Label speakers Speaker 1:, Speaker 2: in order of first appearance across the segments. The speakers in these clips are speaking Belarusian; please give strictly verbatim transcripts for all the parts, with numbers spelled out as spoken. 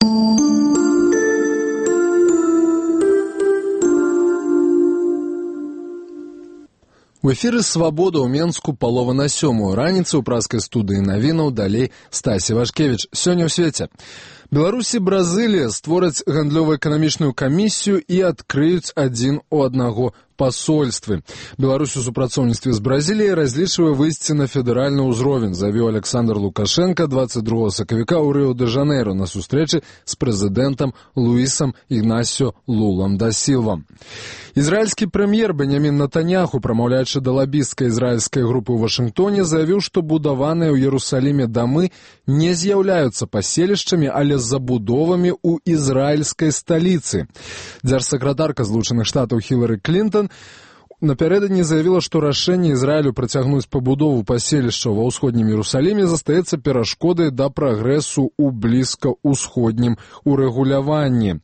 Speaker 1: У эфіры «Свабода» ў Менску палова на сёмую раніцы ў праскай студыі навінаў, далей Стасі Вашкевіч. Сёння ў свеце. Беларусь і Бразылія створаць гандлёва-эканамічную камісію і адкрыюць адзін у аднаго пасольствы. Беларусь у супрацоўніцтве з Бразіліяй разлічвае выйсці на федэральны ўзровень, заявіў Александр Лукашенко двадцать другого сакавіка ў Рыо-де-Жанейро на сустрэчы з прэзідэнтам Луісам Ігнасіо Лулам да Сілва. Ізраільскі прэм'ер Беньямін Нетаньяху, прамаўляючы да лабісцкай ізраільскай групы ў Вашынгтоне, заявіў, што будаваныя ў Іерусаліме дамы не з'яўляюцца паселішчамі, але забудовамі ў ізраільскай сталіцы. Дзяржсакратарка Злучаных Штатаў Хілары Клінтон напярэдадні заявіла, што рашэнне Ізраілю працягнуць пабудову паселішчаў ва ўсходнім Іерусаліме застаецца перашкодай да прагрэсу ў блізкаўсходнім урэгуляванні.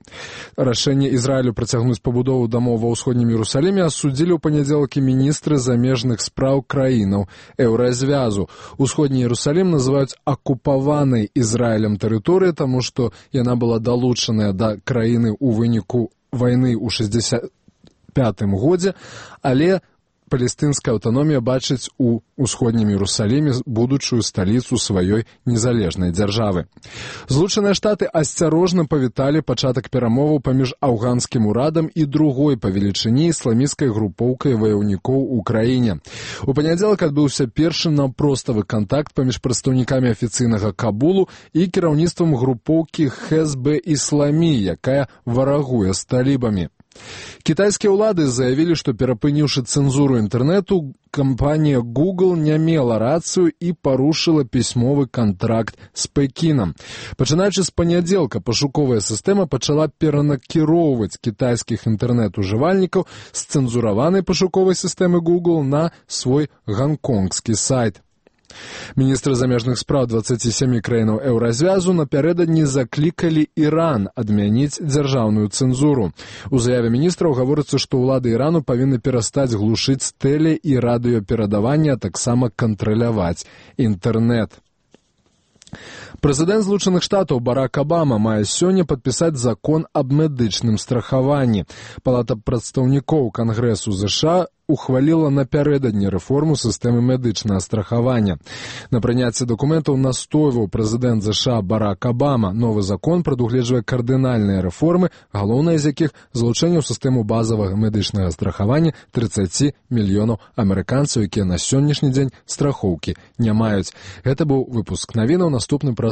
Speaker 1: Рашэнне Ізраілю працягнуць пабудову дамоў ва ўсходнім Іерусаліме асудзілі ў панядзелак і міністры замежных спраў краінаў Еўразвязу. Усходні Іерусалім называюць акупаванай Ізраілем тэрыторыяй, таму што яна была далучаная да краіны ў выніку вайны ў шэсцьдзесят пятым годзе, але палестынская аўтаномія бачыць у ўсходнім Іерусаліме будучую сталіцу сваёй незалежнай дзяржавы. Злучаныя Штаты асцярожна павіталі пачатак перамоваў паміж афганскім урадам і другой па велічыні ісламісцкай групоўкай ваяўнікоў у краіне. У панядзелак адбыўся першы наўпроставы кантакт паміж прадстаўнікамі афіцыйнага Кабулу і кіраўніцтвам групоўкі Хезбе Ісламі, якая варагуе з талібамі. Кітайскія ўлады заявілі, што перапыніўшы цэнзуру інтэрнэту, кампанія Google не мела рацыю і парушыла пісьмовы кантракт з Пекінам. Пачынаючы з панядзелка, пашуковая сістэма пачала перанакіроўваць кітайскіх інтэрнэт-ужывальнікаў з цэнзураванай пашуковай сістэмы Google на свой ганконгскі сайт. Міністры замежных спраў дваццаці сямі краінаў Еўразвязу напярэдадні заклікалі Іран адмяніць дзяржаўную цэнзуру. У заяве міністраў гаворыцца, што ўлады Ірану павінны перастаць глушыць тэле- і радыёперадаванне, а таксама кантраляваць інтэрнэт. Прэзідэнт Злучаных Штатаў Барак Абама мае сёння падпісаць закон аб медычным страхаванні. Палата прадстаўнікоў Кангрэсу ЗША ухваліла напярэдадні рэформу сістэмы медычнага страхавання. На прыняцці дакументаў настойваў прэзідэнт ЗША Барак Абама. Новы закон прадугледжвае кардынальныя рэформы, галоўныя з якіх залучэнне ў сістэму базавага медычнага страхавання трыццаць мільёнаў амерыканцаў, якія на сённяшні дзень страхоўкі не маюць. Гэта быў выпуск навінаў, наступны праз